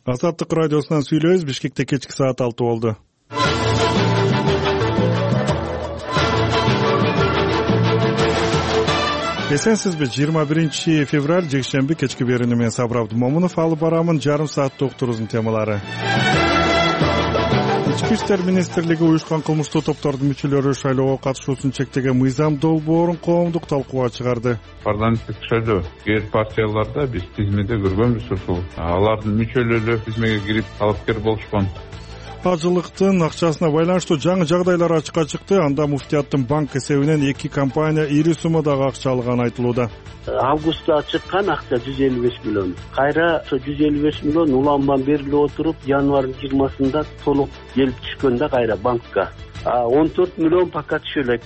Азаттык радиосунан сүйлөйбүз. Бишкекте кечки саат 6 болду. Эсенсизби? 21 февраль жекшемби кечки берүүнү мен Сабыр Абдымомунов алып барамын. Жарым сааттык уктуруубуздун темалары. Ички иштер министрлиги уюшкан кылмыштуу топтордун мүчөлөрү шайлоого катышуусун чектеген мыйзам долбоорун коомдук талкууга чыгарды. Парламенттик шайлоо кээ партияларда биз тизмеде көргөнбүз, ушул алардын мүчөлөрү тизмеге кирип талапкер болушкан. Ажылыктын акчасына байланыштуу жаңы жагдайлар ачыкка чыкты. Анда муфтияттын банк эсебинен 2 компания ири суммадагы акча алганы айтылууда. Августта чыккан акча 155 миллион. Кайра ошо 155 миллион улам берилип отуруп, январдын 20-сында толук келип түшкөндө кайра банкка 14 миллион пока түшө элек.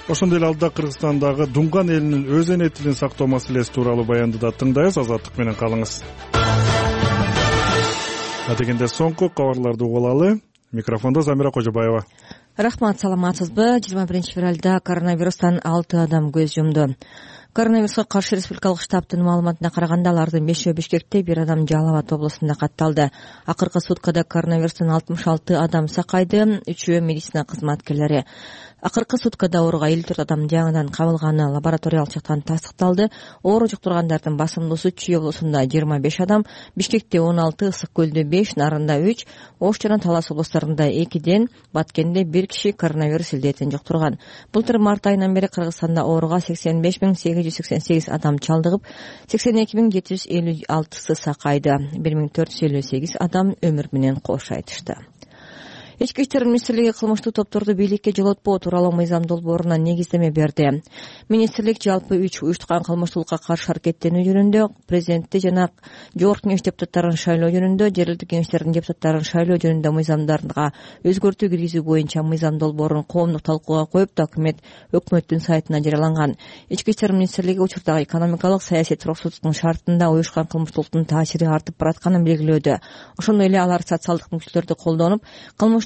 Ошондой эле алдыда Кыргызстандагы Дунган элинин өз эне тилин сактоо маселеси тууралуу баянды да тыңдайбыз. Азаттык менен калыңыз. Дегенде соңку кабарларды угуп алалы. Микрофондо Замира Кожобаева. Рахмат, саламатсызбы? 21 февралда коронавирустан 6 адам көз жумду. Коронавируска каршы республикалык штабтын маалыматына караганда, алардын 5-өө Бишкекте, 1 адам Жалал Абад облусунда катталды. Акыркы суткада коронавирустан 66 адам сакайды, 3-өө медицина кызматкерлери. Акыркы суткада ооруга 54 адам жаңыдан кабылганы лабораториялык жактан тастыкталды. Оору жуктургандардын басымдуусу Чүй облусунда 25 адам, Бишкекте 16, Ысык көлдө 5, Нарында 3, Ош жана Талас облустарында 2, Баткенде 1 киши коронавирус илдетин жуктурган. Былтыр март айынан бери Кыргызстанда ооруга 85.888 адам чалдыгып, 82.756 сакайды. 1458 адам өмүр менен кош айтышты. Ички иштер министрлиги кылмыштуу топторду бийликке жолотпоо тууралуу мыйзам долбооруна негиздеме берди. Министрлик жалпы 3 уюштурган кылмыштуулукка каршы аракеттенүү жөнүндө, президентти жана жогорку кеңеш депутаттарын шайлоо жөнүндө, жергиликтик кеңештердин депутаттарын шайлоо жөнүндө мыйзамдарга өзгөртүү киргизүү боюнча мыйзам долбоорун коомдук талкууга коюп, документ өкмөттүн сайтына жарыяланган. Ички иштер министрлиги учурдагы экономикалык саясий туруктуулуктун шартында уюшкан кылмыштуулуктун таасири артып баратканын белгилөөдө. Ошондой эле алар социалдык мүчөлөрдү колдонуп,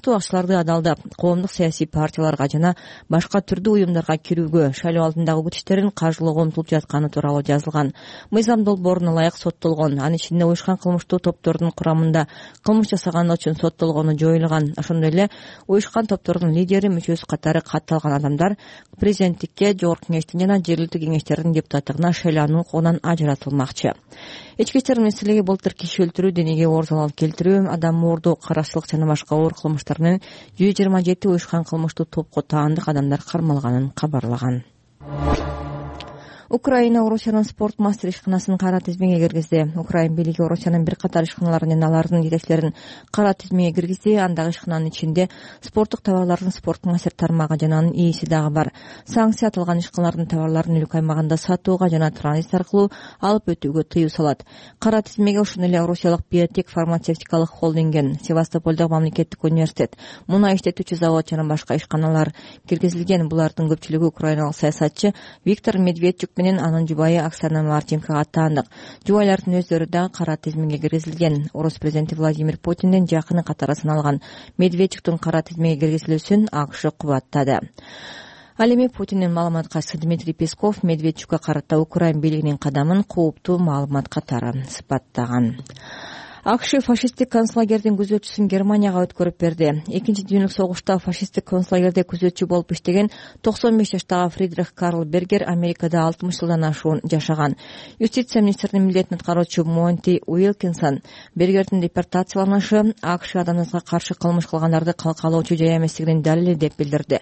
акчаларды адалдап, коомдук саясий партияларга жана башка түрдүү уюмдарга кирүүгө, шайлоо алдындагы күчтөрүн каржылоого умтулуп жатканы тууралуу жазылган. Мыйзам долбооруна ылайык соттолгон, анын ичинде уюшкан кылмыштуу топтордун курамында кылмыш жасаганы үчүн соттолгону жоюлган. Ошондой эле уюшкан топтордун лидери, мүчөсү катары катталган адамдар президенттикке, жогорку кеңештин жана жергиликтик кеңештердин депутаттыгына шайлануу укугунан ажыратылмакчы. Ички иштер министрлиги былтыр киши өлтүрүү, денеге оор залал келтирүү, адам оордоо, карашчылык жана башка оор кылмыштар 127 уюшкан кылмыштуу топко таандык адамдар кармалганын кабарлаган. Украина Орусиянын спорт мастер ишканасын кара тизмеге киргизди. Украин бийлиги Орусиянын бир катар ишканаларын жана алардын жетекчилерин кара тизмеге киргизди. Андагы ишкананын ичинде спорттук товарлардын спорт мастер тармагы жана анын ээси дагы бар. Санкция аталган ишканалардын товарларын өлкө аймагында сатууга жана транзит аркылуу алып өтүүгө тыюу салат. Кара тизмеге ошондой эле орусиялык биотек фармацевтикалык холдинген, Севастополдогу мамлекеттик университет, мунай иштетүүчү завод жана башка ишканалар киргизилген. Булардын көпчүлүгү украиналык саясатчы Виктор Медведчук менен анын жубайы Оксана Марченкога таандык. Жубайлардын өздөрү дагы кара тизмеге киргизилген. Орус президенти Владимир Путиндин жакыны катары саналган Медведчуктун кара тизмеге киргизилүүсүн АКШ кубаттады. Ал эми Путиндин маалыматкачысы Дмитрий Песков Медведчукка карата Украин бийлигинин кадамын кооптуу маалымат катары сыпаттаган. АКШ фашисттик концлагердин күзөтчүсүн Германияга өткөрүп берди. Экинчи дүйнөлүк согушта фашисттик концлагерде күзөтчү болуп иштеген 95 жаштагы Фридрих Карл Бергер Америкада 60 жылдан ашуун жашаган. Юстиция министринин милдетин аткаруучу Монти Уилкинсон Бергердин депортацияланышы АКШ адамдыкка каршы кылмыш кылгандарды калкалоочу жай эместигинин далили деп билдирди.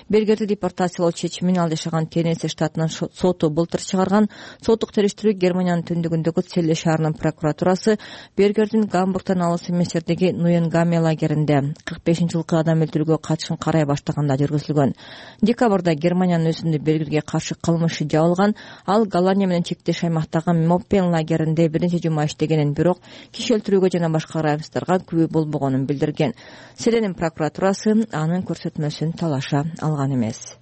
Бергерди депортациялоо чечимин ал жашаган Теннесси штатынын соту былтыр чыгарган. Соттук териштирүү Германиянын түндүгүндөгү Целле шаарынын прокуратурасы Бергер Гамбургтан алыс эмес жердеги Нуенгаме лагеринде 45-жылкы адам өлтүрүүгө катышын карай баштаганда жүргүзүлгөн. Декабрда Германиянын өзүндө Бергерге каршы кылмышы жабылган. Ал Голландия менен чектеш аймактагы Моппен лагеринде бир нече жума иштегенин, бирок киши өлтүрүүгө жана башка кылмыштарга күбө болбогонун билдирген. Селенин прокуратурасы анын көрсөтмөсүн талаша алган эмес.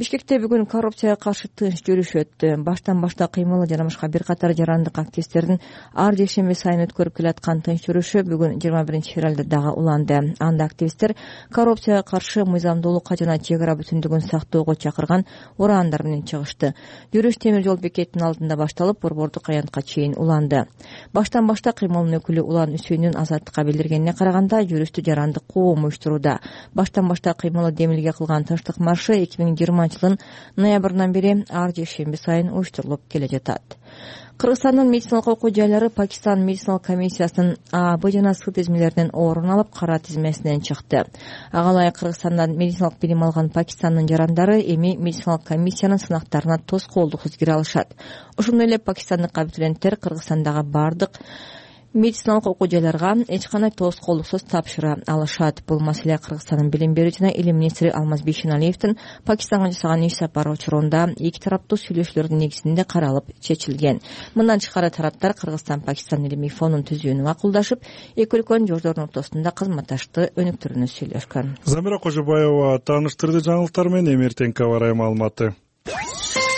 Бишкекте бүгүн коррупцияга каршы тынч жүрүш өттү. Баштан башта кыймылы жана башка бир катар жарандык активисттердин ар жекшемби сайын өткөрүп келаткан тынч жүрүшү бүгүн 21-февралда дагы уланды. Анда активисттер коррупцияга каршы мыйзамдуулукка жана чек ара бүтүндүгүн сактоого чакырган ураандар менен чыгышты. Жүрүш темир жол бекетинин алдында башталып, Борбордук аянтка чейин уланды. Баштан башта кыймылдын өкүлү Улан Үсөйүнүн Азаттыкка билдиргенине караганда, жүрүштү жарандык коом уюштурууда. Баштан башта кыймылы демилге кылган тынчтык маршы 2020 жылдын ноябрынан бери ар жекшемби сайын уюштурулуп келе жатат. Кыргызстандын медициналык окуу жайлары Пакистан медициналык комиссиясынын ААБ жана С тизмелеринен орун алып, кара тизмесинен чыкты. Ага ылайык Кыргызстандан медициналык билим алган Пакистандын жарандары эми медициналык комиссиянын сынактарына тоскоолдуксуз кире алышат. Ошондой эле пакистандык абитуриенттер Кыргызстандагы бардык медициналык окуу жайларга эч кандай тоскоолдуксуз тапшыра алышат. Бул маселе Кыргызстандын билим берүү жана илим министри Алмаз Бейшеналиевдин Пакистанга жасаган иш сапары учурунда эки тараптуу сүйлөшүүлөрдүн негизинде каралып чечилген. Мындан тышкары тараптар Кыргызстан-Пакистан илимий фонун түзүүнү макулдашып, эки өлкөнүн жолдордун ортосунда кызматташтыкты өнүктүрүүнү сүйлөшкөн. Замира Кожобаева тааныштырды жаңылыктар менен. Эмертенка барай маалыматы.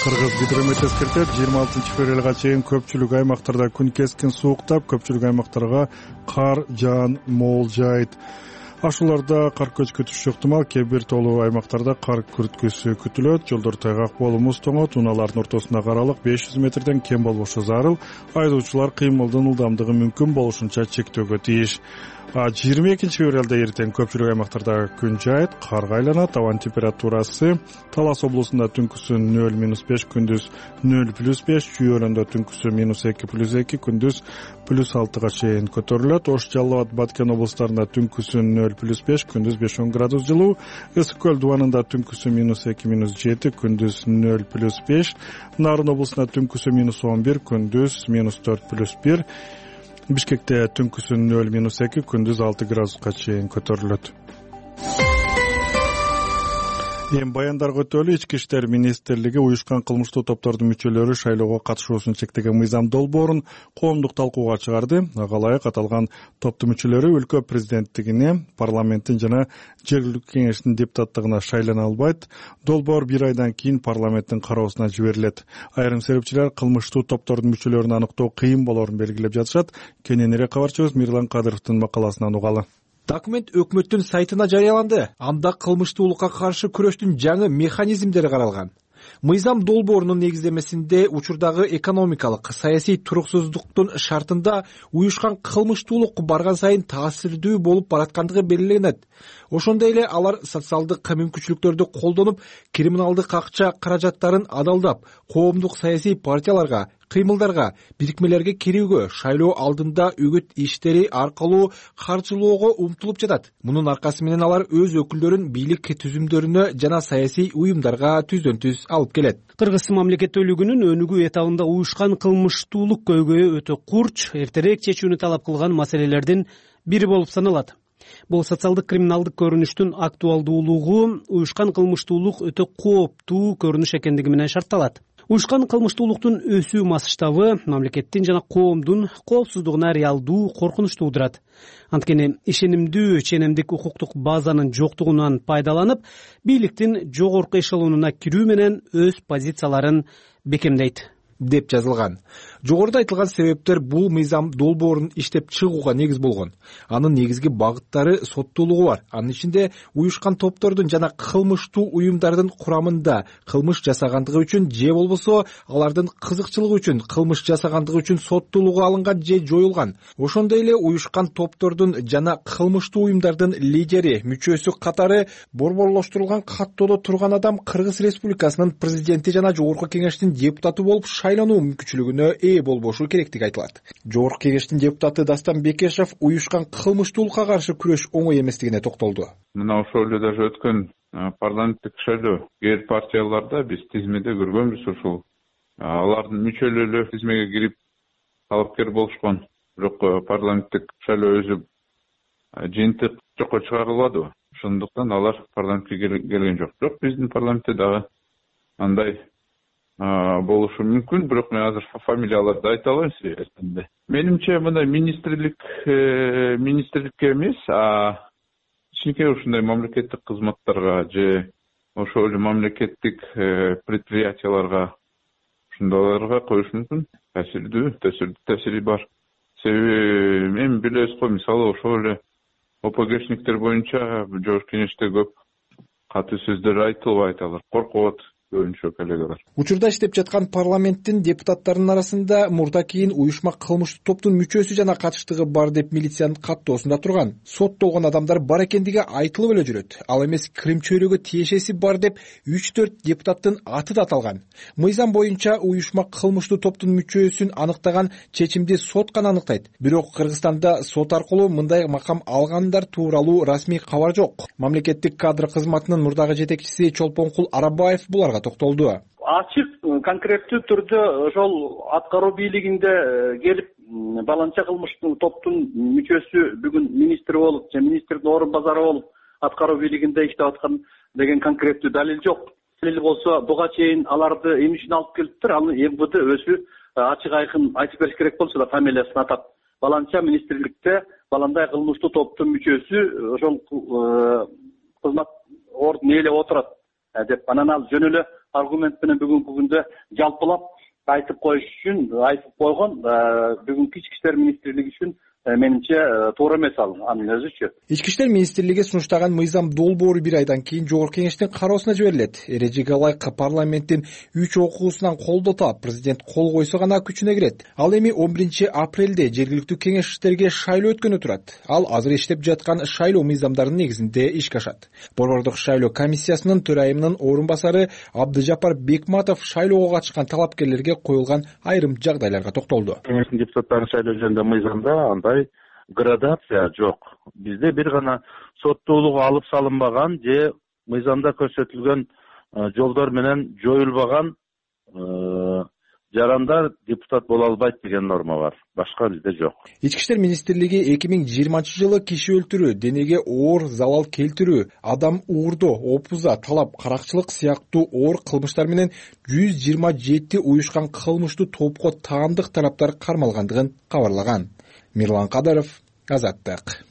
Кыргыз гидромет эскертет, 26-февралга чейин көпчүлүк аймактарда күн кескин сууктап, көпчүлүк аймактарга кар жаан болжойт. Ашууларда кар көчкүтүшү ыктымал, кээ бир тоолуу аймактарда кар күрткүсү күтүлөт. Жолдор тайгак болуп муз тоңот, унаалардын ортосундагы аралык 500 метрден кем болбошу зарыл. Айдоочулар кыймылдын ылдамдыгы мүмкүн болушунча чектөөгө тийиш. 22-февралда эртең көпчүлүк аймактарда күн жайыт, карга айланат. Абанын температурасы Талас облусунда түнкүсүн 0-5, күндүз 0+5, Чүй-Өлөндө түнкүсү -2+2, күндүз +6 чейин көтөрүлөт. Ош, Жалал Абад, Баткен облустарында түнкүсүн 0+5, күндүз 5-10 градус жылуу. Ысык көл дубанында түнкүсү -2-7, күндүз 0+5. Нарын облусунда түнкүсү -11, күндүз -4+1. Бишкекте түнкүсүн 0-2, күндүз 6 градуска чейин көтөрүлөт. Эми баяндарга өтөлү. Ички иштер министрлиги уюшкан кылмыштуу топтордун мүчөлөрү шайлоого катышуусун чектеген мыйзам долбоорун коомдук талкууга чыгарды. Ага ылайык аталган топтун мүчөлөрү өлкө президенттигине, парламенттин жана жергиликтүү кеңештин депутаттыгына шайлана албайт. Долбоор 1 айдан кийин парламенттин кароосуна жиберилет. Айрым серепчилер кылмыштуу топтордун мүчөлөрүн аныктоо кыйын болоорун белгилеп жатышат. Кененирээк кабарчыбыз Мирлан Кадыровдун макаласынан угалы. Документ өкмөттүн сайтына жарыяланды. Анда кылмыштуулукка каршы күрөштүн жаңы механизмдери каралган. Мыйзам долбоорунун негиздемесинде учурдагы экономикалык, саясий туруксуздуктун шартында уюшкан кылмыштуулук барган сайын таасирдүү болуп бараткандыгы белгиленет. Ошондой эле алар социалдык мүмкүнчүлүктөрдү колдонуп, криминалдык акча каражаттарын адалдап, коомдук саясий партияларга, кыймылдарга, бирикмелерге кирүүгө, шайлоо алдында үгүт иштери аркылуу каржылоого умтулуп жатат. Мунун аркасы менен алар өз өкүлдөрүн бийлик түзүмдөрүнө жана саясий уюмдарга түздөн-түз алып келет. Кыргыз мамлекеттүүлүгүнүн өнүгүү этабында уюшкан кылмыштуулук көйгөйү өтө курч, эртерээк чечүүнү талап кылган маселелердин бири болуп саналат. Бул социалдык криминалдык көрүнүштүн актуалдуулугу уюшкан кылмыштуулук өтө кооптуу көрүнүш экендиги менен шартталат. Уюшкан кылмыштуулуктун өсүү масштабы мамлекеттин жана коомдун коопсуздугуна реалдуу коркунуч туудурат. Анткени ишенимдүү ченемдик укуктук базанын жоктугунан пайдаланып, бийликтин жогорку эшелонуна кирүү менен өз позицияларын бекемдейт деп жазылган. Жогоруда айтылган себептер бул мыйзам долбоорун иштеп чыгууга негиз болгон. Анын негизги багыттары соттуулугу бар. Анын ичинде уюшкан топтордун жана кылмыштуу уюмдардын курамында кылмыш жасагандыгы үчүн же болбосо алардын кызыкчылыгы үчүн кылмыш жасагандыгы үчүн соттуулугу алынган же жоюлган. Ошондой эле уюшкан топтордун жана кылмыштуу уюмдардын лидери, мүчөсү катары борборлоштурулган каттоодо турган адам Кыргыз Республикасынын президенти жана жогорку кеңештин депутаты болуп шайлануу мүмкүнчүлүгүнө болбошу керектиги айтылат. Жогорку кеңештин депутаты Дастан Бекешев уюшкан кылмыштуулукка каршы күрөш оңой эместигине токтолду. Мына ошол эле даже өткөн парламенттик шайлоо кээ партияларда биз тизмеде көргөнбүз ушул. Алардын мүчөлөрү тизмеге кирип талапкер болушкон. Бирок парламенттик шайлоо өзү жыйынтык жокко чыгарылбады. Ошондуктан алар парламентке келген жок. Бирок биздин парламентте дагы андай болушу мүмкүн, бирок мен азыр фамилияларды айта албайм сизге. Менимче мына министрликке эмес, кичинекей ушундай мамлекеттик кызматтарга же ошол эле мамлекеттик предприятияларга ушундайларга коюш мүмкүн. Таасири бар. Себеби эми билебиз го, мисалы ошол эле ОПГшниктер боюнча Жогорку Кеңеште көп катуу сөздөр айтылбайт, алар коркот көбүнчө коллегалар. Учурда иштеп жаткан парламенттин депутаттарынын арасында мурда кийин уюшма кылмыштуу топтун мүчөсү жана катыштыгы бар деп милициянын каттоосунда турган. Соттолгон адамдар бар экендиги айтылып эле жүрөт. Ал эмес Крым чөйрөгө тиешеси бар деп 3-4 депутаттын аты да аталган. Мыйзам боюнча уюшма кылмыштуу топтун мүчөсүн аныктаган чечимди сот гана аныктайт. Бирок Кыргызстанда сот аркылуу мындай макам алгандар тууралуу расмий кабар жок. Мамлекеттик кадр кызматынын мурдагы жетекчиси Чолпонкул Арабаев буларга токтолду. Ачык, конкреттүү түрдө ошол аткаруу бийлигинде келип баланча кылмыштуу топтун мүчөсү бүгүн министр болуп же министрдин орун базары болуп аткаруу бийлигинде иштеп аткан деген конкреттүү далил жок. Далил болсо буга чейин аларды эмне үчүн алып келиптир, аны МВД өзү ачык айкын айтып бериш керек болчу да, фамилиясын атап. Баланча министрликте баландай кылмыштуу топтун мүчөсү ошол кызмат ордун ээлеп отурат деп, анан ал жөн эле аргумент менен бүгүнкү күндө жалпылап айтып коюш үчүн айтып койгон. Бүгүнкү ички иштер министрлиги үчүн менимче туура эмес анын өзүчү. Ички иштер министрлиги сунуштаган мыйзам долбоору 1 айдан кийин Жогорку Кеңештин кароосуна жиберилет. Эрежеге ылайык парламенттин 3 окуусунан колдоо таап, президент кол койсо гана күчүнө кирет. Ал эми 11 апрелде жергиликтүү кеңештерге шайлоо өткөнү турат. Ал азыр иштеп жаткан шайлоо мыйзамдарынын негизинде ишке ашат. Борбордук шайлоо комиссиясынын төрайымынын орун басары Абдыжапар Бекматов шайлоого катышкан талапкерлерге коюлган айрым жагдайларга токтолду. Кеңештин депутаттарын шайлоо жөнүндө мыйзамда градация жок. Бизде бир гана соттуулук алып салынбаган же мыйзамда көрсөтүлгөн жолдор менен жоюлбаган жарандар депутат боло албайт деген норма бар. Башка бизде жок. Ички иштер министрлиги 2020-жылы киши өлтүрүү, денеге оор залал келтирүү, адам уурдоо, опуза, талап, каракчылык сыяктуу оор кылмыштар менен 127 уюшкан кылмыштуу топко таандык тараптар кармалгандыгын кабарлаган. Мирлан Кадыров, Азаттык.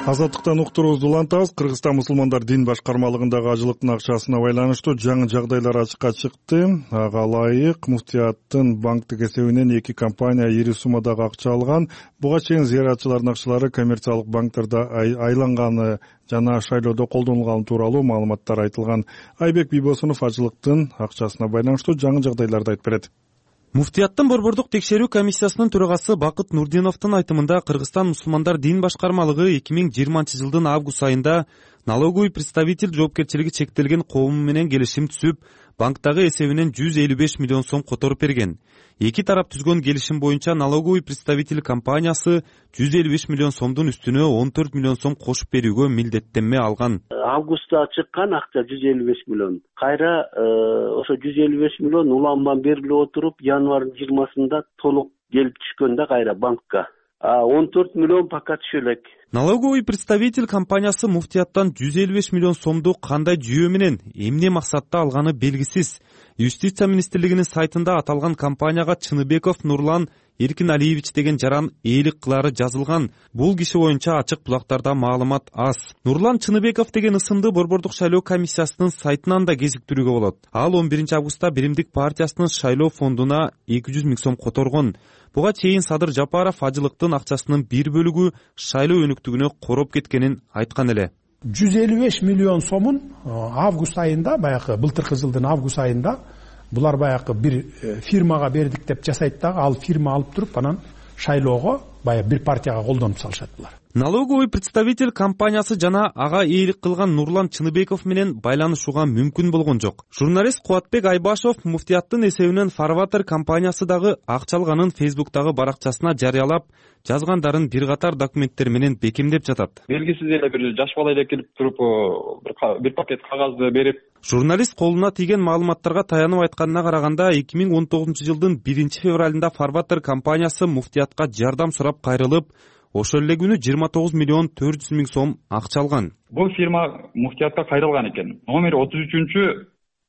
Азаттыктан уктуруубузду улантабыз. Кыргызстан мусулмандар дин башкармалыгындагы ажылыктын акчасына байланыштуу жаңы жагдайлар ачыкка чыкты. Ага ылайык муфтияттын банктык эсебинен 2 компания ири суммадагы акча алган. Буга чейин зыяратчылардын акчалары коммерциялык банктерде айланганы жана шайлоодо колдонулганы тууралуу маалыматтар айтылган. Айбек Бийбосунов ажылыктын акчасына байланыштуу жаңы жагдайларды айтып берет. Муфтияттын борбордук текшерүү комиссиясынын төрагасы Бакыт Нурдиновдун айтымында Кыргызстан мусулмандар дин башкармалыгы 2020-жылдын август айында налоговый представитель жоопкерчилиги чектелген коому менен келишим түзүп, банктагы эсебинен 155 миллион сом которуп берген. Эки тарап түзгөн келишим боюнча налоговый представитель компаниясы 155 миллион сомдун үстүнө 14 миллион сом кошуп берүүгө милдеттенме алган. Августта чыккан акча 155 миллион. Кайра ошо 155 миллион уланман берилип отуруп, январдын 20-сында толук келип түшкөндө кайра банкка 14 миллион пока түшө элек. Налоговый представитель компаниясы муфтияттан 155 миллион сомду кандай жүйө менен, эмне максатта алганы белгисиз. Юстиция министрлигинин сайтында аталган компанияга Чыныбеков Нурлан Эркин Алиевич деген жаран ээлик кылары жазылган. Бул киши боюнча ачык булактарда маалымат аз. Нурлан Чыныбеков деген ысымды борбордук шайлоо комиссиясынын сайтынан да кезиктирүүгө болот. Ал 11 августта Биримдик партиясынын шайлоо фондуна 200 миң сом которгон. Буга чейин Садыр Жапаров ажылыктын акчасынын бир бөлүгү шайлоо өнүктүгүнө короп кеткенин айткан эле. 155 миллион сомун август айында, баягы былтыркы жылдын август айында булар баягы бир фирмага бердик деп жасайт дагы, ал фирма алып туруп анан шайлоого баягы бир партияга колдонуп салышат булар. Налоговый представитель компаниясы жана ага ээлик кылган Нурлан Чыныбеков менен байланышууга мүмкүн болгон жок. Журналист Кубатбек Айбашев муфтияттын эсебинен Фарватер компаниясы дагы акча алганын Фейсбуктагы баракчасына жарыялап, жазгандарын бир катар документтер менен бекемдеп жатат. Белгисиз эле бир жаш бала эле келип туруп бир пакет кагазды берип. Журналист колуна тийген маалыматтарга таянып айтканына караганда 2019-жылдын 1-февралында Фарватер компаниясы муфтиятка жардам сурап кайрылып, ошол эле күнү 29 миллион 400 миң сом акча алган. Бул фирма муфтиятка кайрылган экен. Номер 33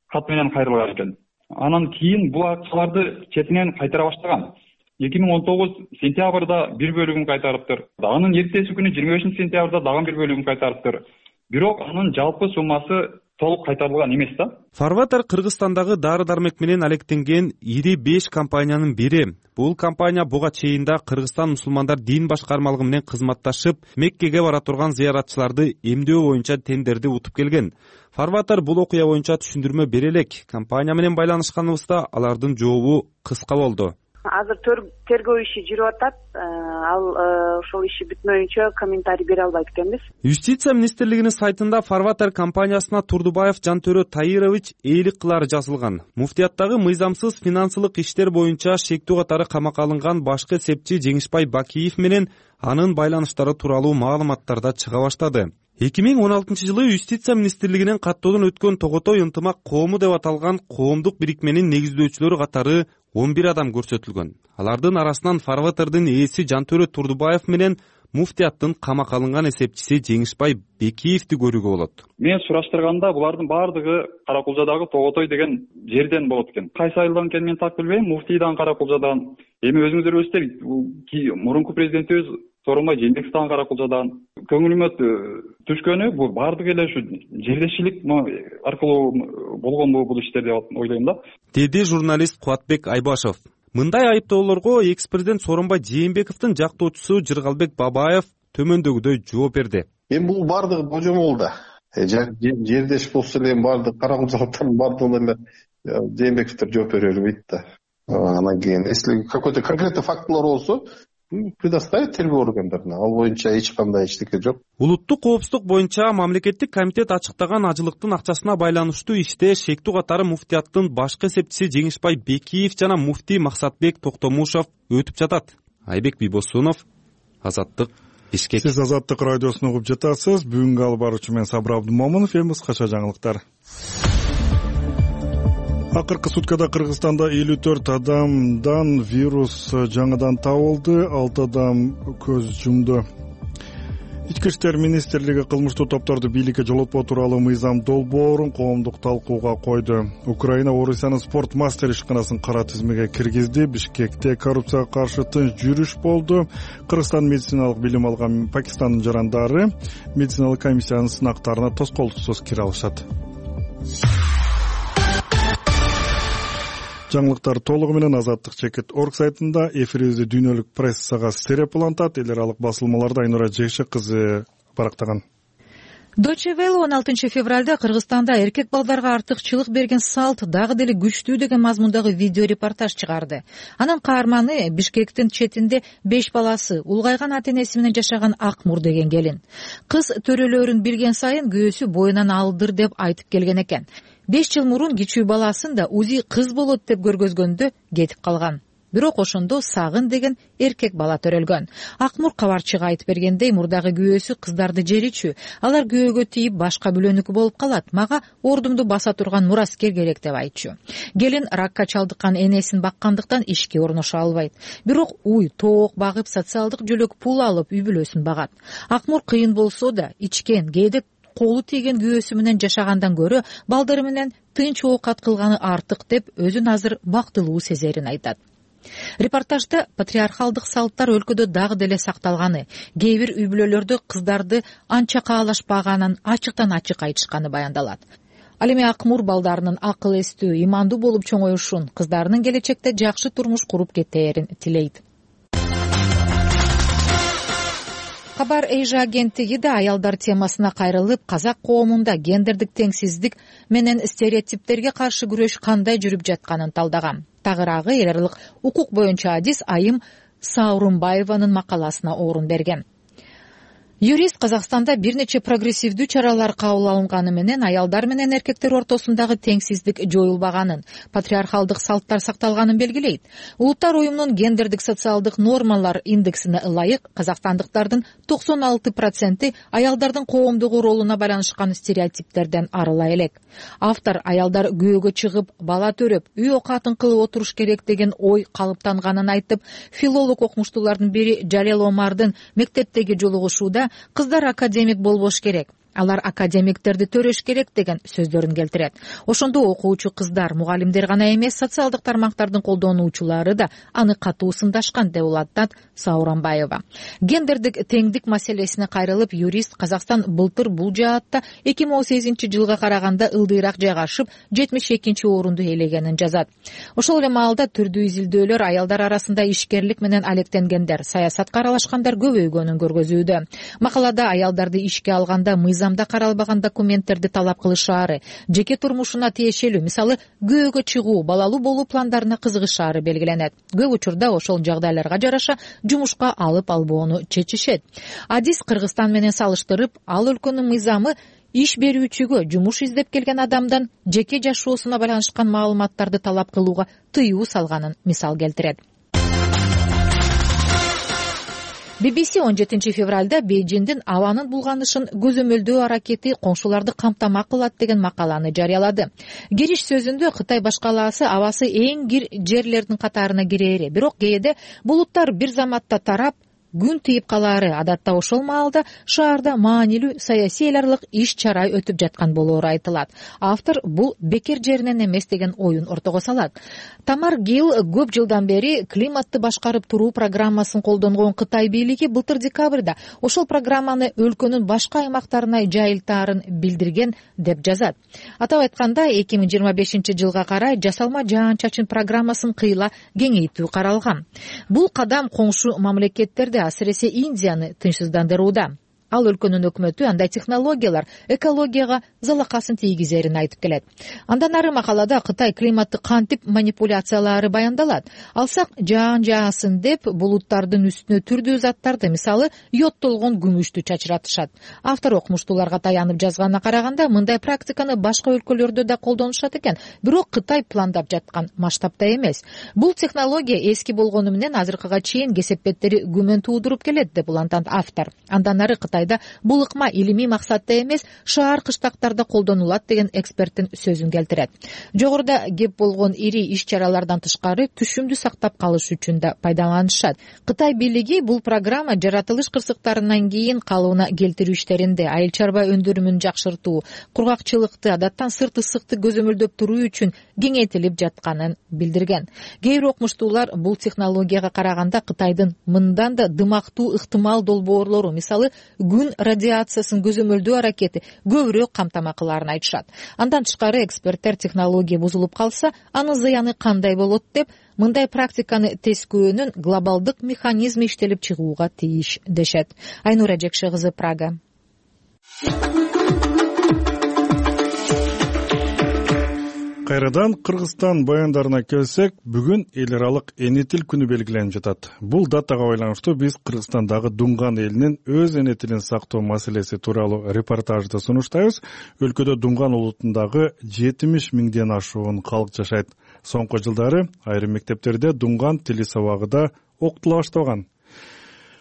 кат менен кайрылган экен. Анан кийин бул акчаларды четинен кайтара баштаган. 2019 сентябрда бир бөлүгүн кайтарыптыр. Анын эртеси күнү 25 сентябрда дагы бир бөлүгүн кайтарыптыр. бирок анын жалпы суммасы толук кайтарылган эмес да. Фарватер Кыргызстандагы дары-дармек менен алектенген ири 5 компаниянын бири. Бул компания буга чейин да Кыргызстан мусулмандар дин башкармалыгы менен кызматташып, Меккеге бара турган зыяратчыларды эмдөө боюнча тендерди утуп келген. Фарватер бул окуя боюнча түшүндүрмө бере элек. Компания менен байланышканыбызда алардын жообу кыска болду. Азыр тергөө иши жүрүп атат. Ал ошол иши бүтмөйүнчө комментарий бере албайт экенбиз. Юстиция министрлигинин сайтында Фарватер компаниясына Турдубаев Жантөрө Таирович ээлик кылары жазылган. Муфтияттагы мыйзамсыз финансылык иштер боюнча шектүү катары камакка алынган башкы эсепчи Жеңишбай Бакиев менен анын байланыштары тууралуу маалыматтар да чыга баштады. 2016-жылы Юстиция министрлигинин каттоодон өткөн Тоготой ынтымак коому деп аталган коомдук бирикменин негиздөөчүлөрү катары 11 адам көрсөтүлгөн. Алардын арасынан Фарватердин ээси Жантөрө Турдубаев менен муфтияттын камакка алынган эсепчиси Жеңишбай Бекиевди көрүүгө болот. Мен сураштырганда булардын баардыгы Каракулжадагы Тоготой деген жерден болот экен. Кайсы айылдан экенин мен так билбейм. Муфтийдан Каракулжадан. Эми өзүңүздөр билесиздер, мурунку президентибиз Сооронбай Жээнбековдон Каракулжадан. Көңүлүмө түшкөнү бул баардыгы эле ушу жерлешчилик аркылуу болгонбу бул иштер деп ойлойм да. Деди журналист Кубатбек Айбашев. Мындай айыптоолорго экс-президент Сооронбай Жээнбековдун жактоочусу Жыргалбек Бабаев төмөндөгүдөй жооп берди. Эми бул баардыгы божомол да. Жердеш болсо эле баардык каракулжалыктардын баардыгына эле Жээнбековдор жооп бере бербейт да. Анан кийин если какой-то конкретный фактылар болсо предоставить тергөө органдарына. Ал боюнча эч кандай эчтеке жок. Улуттук коопсуздук боюнча мамлекеттик комитет ачыктаган ажылыктын акчасына байланыштуу иште шектүү катары муфтияттын башкы эсепчиси Жеңишбай Бекиев жана муфтий Максатбек Токтомушов өтүп жатат. Айбек Бийбосунов, Азаттык, Бишкек. Сиз Азаттык радиосун угуп жатасыз. Бүгүнкү алып баруучу мен Сабыр Абдымомунов. Эми кыскача жаңылыктар. Акыркы суткада Кыргызстанда 54 адамдан вирус жаңыдан табылды, 6 адам көз жумду. Ички иштер министрлиги кылмыштуу топторду бийликке жолотпоо тууралуу мыйзам долбоорун коомдук талкууга койду. Украина Орусиянын спорт мастер ишканасын кара тизмеге киргизди. Бишкекте коррупцияга каршы тынч жүрүш болду. Кыргызстан медициналык билим алган Пакистандын жарандары медициналык комиссиянын сынактарына тоскоолдуксуз кире алышат. Жаңылыктар толугу менен Азаттык Чекит.org сайтында, эфирибизди дүйнөлүк прессага стереп улантат. Эл аралык басылмаларда Айнура Жекшек кызы барактаган. Deutsche Welle 16 февралда Кыргызстанда эркек балдарга артыкчылык берген салт дагы деле күчтүү деген мазмундагы видео репортаж чыгарды. Анын каарманы Бишкектин четинде 5 баласы, улгайган ата-энеси менен жашаган Акмур деген келин. Кыз төрөлөрүн билген сайын күйөөсү боюнан алдыр деп айтып келген экен. 5 жыл мурун кичүү баласын да узи кыз болот деп көргөзгөндө кетип калган. Бирок ошондо Сагын деген эркек бала төрөлгөн. Акмур кабарчыга айтып бергендей, мурдагы күйөөсү кыздарды жеричүү. Алар күйөөгө тийип башка бөлөнүкү болуп калат. Мага ордумду баса турган мураскер керек деп айтчу. Келин ракка чалдыккан энесин баккандыктан ишке орношо албайт. Бирок уй, тоок багып, социалдык жөлөк пул алып үй бүлөсүн багат. Акмур кыйын болсо да ичкен, кээде колу тийген күйөөсү менен жашагандан көрө балдары менен тынч оокат кылганы артык деп өзүн азыр бактылуу сезерин айтат. Репортажда патриархалдык салттар өлкөдө дагы деле сакталганы, кээ бир үй бүлөлөрдө кыздарды анча каалашпаганын ачыктан ачык айтышканы баяндалат. Ал эми Акмур балдарынын акыл эстүү, имандуу болуп чоңоюшун, кыздарынын келечекте жакшы турмуш куруп кетээрин тилейт. Кабар Эйжа агенттиги да аялдар темасына кайрылып, казак коомунда гендердик теңсиздик менен стереотиптерге каршы күрөш кандай жүрүп жатканын талдаган. Тагыраагы эл аралык укук боюнча адис Айым Саурумбаеванын макаласына орун берген. Юрист Казакстанда бир нече прогрессивдүү чаралар кабыл алынганы менен аялдар менен эркектер ортосундагы теңсиздик жоюлбаганын, патриархалдык салттар сакталганын белгилейт. Улуттар уюмунун гендердик социалдык нормалар индексине ылайык казакстандыктардын 96% аялдардын коомдогу ролуна байланышкан стереотиптерден арыла элек. Автор аялдар күйөөгө чыгып, бала төрөп, үй окатын кылып отуруш керек деген ой калыптанганын айтып, филолог окумуштуулардын бири Жалел Омардын мектептеги жолугушууда кыздар академик болбош керек, алар академиктерди төрөш керек деген сөздөрүн келтирет. Ошондо окуучу кыздар, мугалимдер гана эмес, социалдык тармактардын колдонуучулары да аны катуу сындашкан деп улантат Сауранбаева. Гендердик теңдик маселесине кайрылып, юрист Казакстан былтыр бул жаатта 2018 жылга караганда ылдыйраак жайгашып, 72 орунду ээлегенин жазат. Ошол эле маалда түрдүү изилдөөлөр аялдар арасында ишкерлик менен алектенгендер, саясатка аралашкандар көбөйгөнүн көргөзүүдө. Макалада аялдарды ишке алганда мыйзамда каралбаган документтерди талап кылышаары, жеке турмушуна тиешелүү, мисалы күйөөгө чыгуу, балалуу болуу пландарына кызыгышаары белгиленет. Көп учурда ошол жагдайларга жараша жумушка алып албоону чечишет. Адис Кыргызстан менен салыштырып, ал өлкөнүн мыйзамы иш берүүчүгө жумуш издеп келген адамдан жеке жашоосуна байланышкан маалыматтарды талап кылууга тыюу салганын мисал келтирет. BBC 17 февралда Бейжиңдин абанын булганышын көзөмөлдөө аракети коңшуларды камтамак кылат деген макаланы жарыялады. Кириш сөзүндө Кытай башкалаасы абасы эң кир жерлердин катарына кирери, бирок кээде булуттар бир заматта тарап, күн тийип калаары, адатта ошол маалда шаарда маанилүү саясий эл аралык иш-чара өтүп жаткан болоору айтылат. Автор бул бекер жеринен эмес деген оюн ортого салат. Тамар Гил көп жылдан бери климатты башкарып туруу программасын колдонгон Кытай бийлиги былтыр декабрда ошол программаны өлкөнүн башка аймактарына жайылтаарын билдирген деп жазат. Атап айтканда 2025 жылга карай жасалма жаан-чачын программасын кыйла кеңейтүү каралган. Бул кадам коңшу мамлекеттерде, асыресе Индияны тынчсыздандырууда. Ал өлкөнүн өкмөтү андай технологиялар экологияга залакасын тийгизерин айтып келет. Андан ары макалада Кытай климатты кантип манипуляциялары баяндалат. Алсак, жаан жаасын деп булуттардын үстүнө түрдүү заттарды, мисалы йодтолгон күмүштү чачыратышат. Автор окумуштууларга таянып жазганына караганда, мындай практиканы башка өлкөлөрдө да колдонушат экен, бирок Кытай пландап жаткан масштабта эмес. Бул технология эски болгону менен азыркыга чейин кесепеттери күмөн туудуруп келет деп улантат автор. Андан ары Кытайда бул ыкма илимий максатта эмес, шаар кыштактарда колдонулат деген эксперттин сөзүн келтирет. Жогоруда кеп болгон ири иш-чаралардан тышкары түшүмдү сактап калыш үчүн да пайдаланышат. Кытай бийлиги бул программа жаратылыш кырсыктарынан кийин калыбына келтирүү иштеринде айыл чарба өндүрүмүн жакшыртуу, кургакчылыкты, адаттан сырт ысыкты көзөмөлдөп туруу үчүн кеңейтилип жатканын билдирген. Кээ бир окумуштуулар бул технологияга караганда Кытайдын мындан да дымактуу ыктымал долбоорлору, мисалы күн радиациясын көзөмөлдөө аракети көбүрөөк камтама кылаарын айтышат. Андан тышкары эксперттер технология бузулуп калса, анын зыяны кандай болот деп, мындай практиканы тескөөнүн глобалдык механизми иштелип чыгууга тийиш дешет. Айнура Жекше кызы, Прага. Кайрадан Кыргызстан баяндарына келсек, бүгүн эл аралык эне тил күнү белгиленип жатат. Бул датага байланыштуу биз Кыргызстандагы Дунган элинин өз эне тилин сактоо маселеси тууралуу репортажды сунуштайбыз. Өлкөдө Дунган улутундагы 70 миңден ашуун калк жашайт. Соңку жылдары айрым мектептерде Дунган тили сабагы да окутула башталган.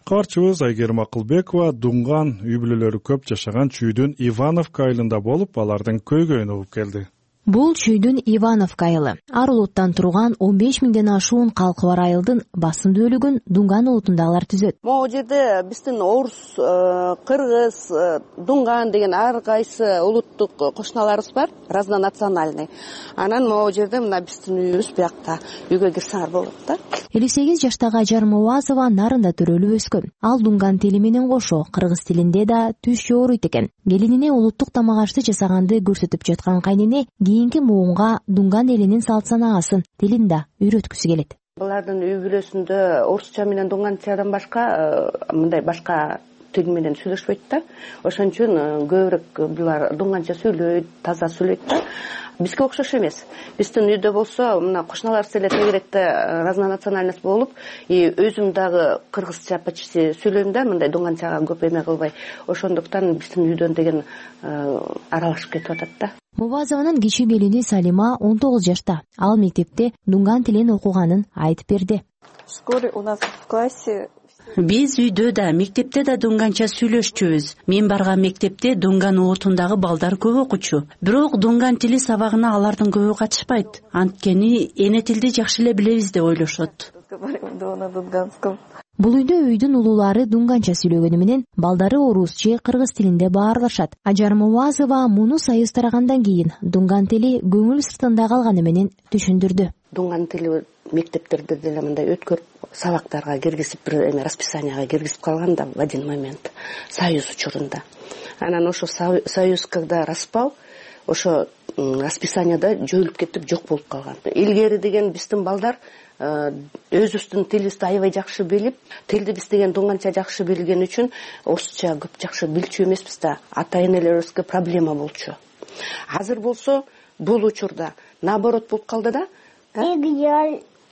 Кабарчыбыз Айгерим Акылбекова Дунган үй бүлөлөрү көп жашаган чүйдүн Ивановка айылында болуп, алардын көйгөйүн угуп келди. Бул чүйдүн Ивановка айылы. Ар улуттан турган 15 миңден ашуун калкы бар айылдын басым бөлүгүн Дунган улутундагылар түзөт. Могу жерде биздин орус, кыргыз, Дунган деген ар кайсы улуттук кошуналарыбыз бар, разнонациональный. Анан могу жерде мына биздин үйүбүз биякта, үйгө кирсеңер болот да. 58 жаштагы Ажар Муазова нарында төрөлүп өскөн. Ал Дунган тили менен кошо кыргыз тилинде да түш жооруйт экен. Келинине улуттук тамак ашты жасаганды көрсөтүп жаткан кайнене кийинки муунга Дунган элинин салт санаасын, тилин да үйрөткүсү келет. Булардын үй бүлөсүндө орусча менен дуңганчадан башка мындай башка тил менен сүйлөшпөйт да. Ошон үчүн көбүрөөк булар дуңганча сүйлөйт, таза сүйлөйт да. Бизге окшош эмес. Биздин үйдө болсо, мына кошуналарыбыз эле тегеректе разнонациональность болуп, өзүм дагы кыргызча почти сүйлөйм да, мындай дуңганчага көп эме кылбай. Ошондуктан биздин үйдөн деген аралашып кетип атат да. Мубазованын кичи келини Салима 19 жашта. Ал мектепте Дунган тилин окуганын айтып берди. Вскоре у нас в классе Биз үйдө да, мектепте да дуңганча сүйлөшчүбүз. Мен барган мектепте Дунган улутундагы балдар көп окучу. Бирок Дунган тили сабагына алардын көбү катышпайт. Анткени эне тилди жакшы эле билебиз деп ойлошот. Говорим на Дунганском. Бул үйдө үйдүн улуулары дунганча сүйлөгөнү менен балдары орус же кыргыз тилинде баарлашат. Ажар Муазова муну союз тарагандан кийин дунган тили көңүл сыртында калганы менен түшүндүрдү. Дунган тили мектептерде деле мындай өткөрүп сабактарга киргизип бир эме расписанияга киргизип калган да в один момент союз учурунда. Анан ошо союз когда распал, ошо расписанияда жоюлуп кетип жок болуп калган. Илгери деген биздин балдар өзүбүздүн тилибизди аябай жакшы билип, тилди биз деген дунганча жакшы билген үчүн орусча көп жакшы билчү эмеспиз да, ата-энелерибизге проблема болчу. Азыр болсо бул учурда наоборот болуп калды да.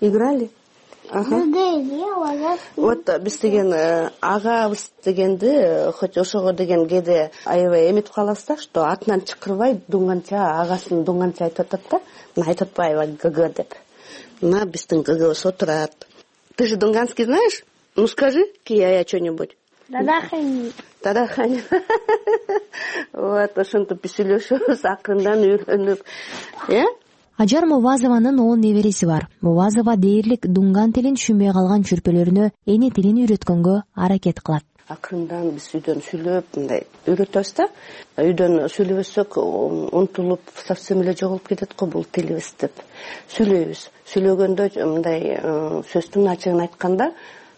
Играли? Вот биз деген агабыз дегенди хоть ошого деген кээде аябай эметип калабыз да, что атынан чакырбай дунганча агасын дунганча айтып атат да. Айтып атпайбы ГГ деп. На биздин ГГбыз отурат. Ты же дунганский знаешь? Ну скажи, Кия, что-нибудь. Тадахани. Вот ошентип биз сүйлөшөбүз, акырындан үйрөнүп. Ажар Мувазованын 10 небереси бар. Мувазова дээрлик дунган тилин түшүнбөй калган чүрпөлөрүнө эне тилин үйрөткөнгө аракет кылат. Акырындан биз үйдөн сүйлөп, мындай үйрөтөбүз да. Үйдөн сүйлөбөсөк, унутулуп, совсем эле жоголуп кетет го бул тилибиз деп. Сүйлөйбүз. Сүйлөгөндө мындай сөздүн ачыгын айтканда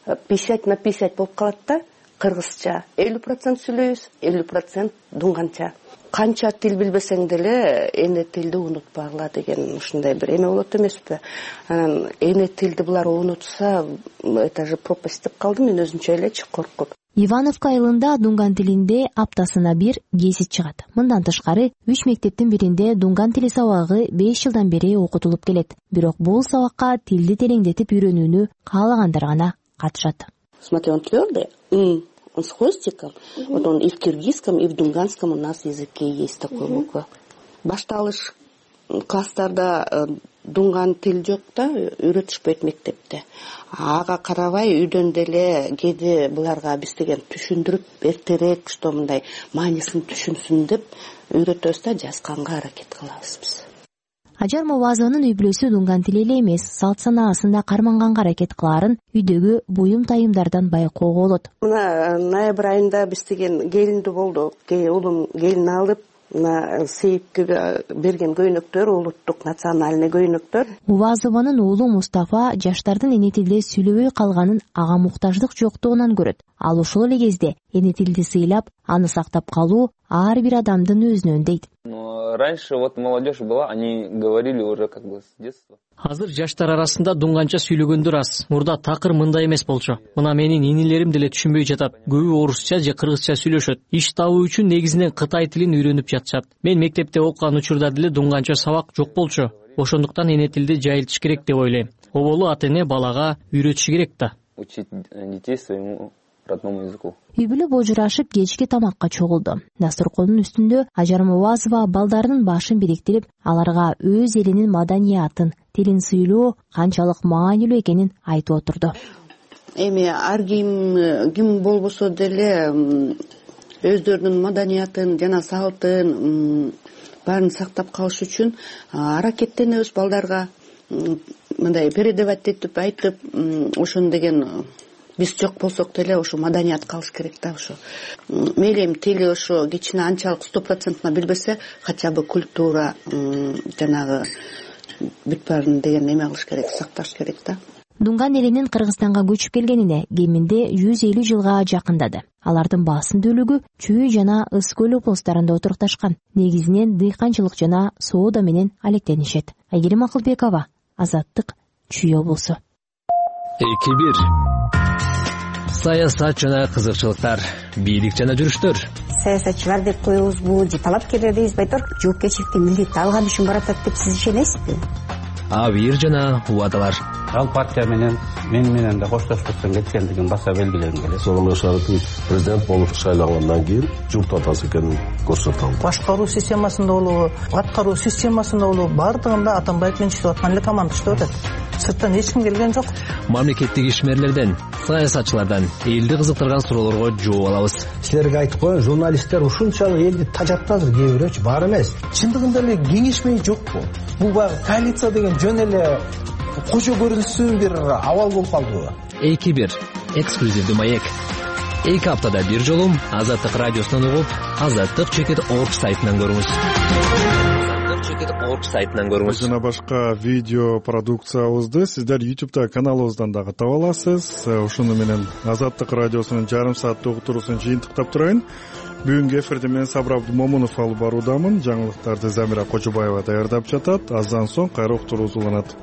50/50 болуп калат да. Кыргызча 50% сүйлөйбүз, 50% дунганча. Канча тил билбесең деле эне тилди унутпагыла деген ушундай бир эме болот эмеспи? Анан эне тилди булар унутса, это же пропасть деп калдым мен өзүнчө элечи коркуп. Ивановка айылында дунган тилинде аптасына бир гезит чыгат. Мындан тышкары 3 мектептин биринде дунган тили сабагы 5 жылдан бери окутулуп келет. Бирок бул сабакка тилди тереңдетип үйрөнүүнү каалагандар гана катышат. Смотри, он твёрдый. Он с хвостиком. Вот он и в киргизском, и в дунганском у нас языке есть такой буква. Башталыш класстарда дунган тил жок да, үйрөтүшпөйт мектепте. Ага карабай үйдөн деле кээде буларга биз деген түшүндүрүп эртерээк, что мындай маанисин түшүнсүн деп үйрөтөбүз да, жазганга аракет кылабыз биз. Ажар Мувазованын үй бүлөсү дунган тили эле эмес, салт санаасында карманганга аракет кылаарын үйдөгү буюм тайымдардан байкоого болот. Мына ноябрь айында биз деген келинди болду. Улум келин алып, мына Сейитке берген көйнөктөр, улуттук национальный көйнөктөр. Мувазованын уулу Мустафа жаштардын эне тилде сүйлөбөй калганын ага муктаждык жоктугунан көрөт. Ал ошол эле кезде эне тилди сыйлап, аны сактап калуу ар бир адамдын өзүнөн дейт. Раньше вот молодежь была, они говорили уже как бы с детства. Азыр жаштар арасында дуңганча сүйлөгөндөр аз. Мурда такыр мындай эмес болчу. Мына менин инилерим деле түшүнбөй жатат. Көбү орусча же кыргызча сүйлөшөт. Иш табуу үчүн негизинен кытай тилин үйрөнүп жатышат. Мен мектепте окуган учурда деле дуңганча сабак жок болчу. Ошондуктан эне тилди жайылтыш керек деп ойлойм. Оболу ата-эне балага үйрөтүш керек да. Учить детей своему родному языку. Үй бүлө божурашып кечки тамакка чогулду. Дасторкондун үстүндө Ажар Мувазова балдарынын башын бириктирип, аларга өз элинин маданиятын, тилин сыйлоо канчалык маанилүү экенин айтып отурду. Эми ар ким болбосо деле өздөрүнүн маданиятын жана салтын баарын сактап калыш үчүн аракеттенебиз балдарга мындай передавать этип айтып, ошону деген биз жок болсок деле ошо маданият калыш керек да. Ошо мейли эми тили ошо кичине анчалык 100% билбесе, хотя бы культура жанагы бүт баарын деген эме кылыш керек, сакташ керек да. Дунган элинин Кыргызстанга көчүп келгенине кеминде 150 жылга жакындады. Алардын басым бөлүгү Чүй жана Ыс көл облустарында отурукташкан. Негизинен дыйканчылык жана соода менен алектенишет. Айгерим Акылбекова, Азаттык, Чүй облусу. 2-1 саясат жана кызыкчылыктар, бийлик жана жүрүштөр. Саясатчылар деп коебузбу же талапкерлер дейбизби айтор, жоопкерчиликти милдетти алган үчүн баратат деп сиз ишенесизби? Абийир жана убадалар. Ал партия менен мен менен да коштошпостон кеткендигин баса белгилегим келет. Сооронбай Шарипович президент болуп шайлангандан кийин журт атасы экенин көрсөтөм. Башкаруу системасында болобу, аткаруу системасында болобу, бардыгында Атамбаев менен иштеп аткан эле команда иштеп атат. Сырттан эч ким келген жок. Мамлекеттик ишмерлерден, саясатчылардан элди кызыктырган суроолорго жооп алабыз. Силерге айтып коеюн, журналисттер ушунчалык элди тажатты азыр, кээ бирөөчү бар эмес. Чындыгында эле кеңешмей жокпу? Бул баягы коалиция деген жөн эле кошо көрүнүшсүз бир абал болуп калдыбы? 2-1 эксклюзивдүү маек. 2 аптада бир жолу Азаттык радиосунан угуп, azattik.org сайтынан көрүңүз. azattik.org сайтынан көрүңүз. Жана башка видео продукциябызды сиздер YouTube'да каналыбыздан дагы таба аласыз. Ушуну менен Азаттык радиосунун жарым сааттык уктуруусун жыйынтыктап турайын. Бүгүнкү эфирди мен Сабыр Абдымомунов алып баруудамын. Жаңылыктарды Замира Кожобаева даярдап жатат. Аздан соң кайра уктуруубуз уланат.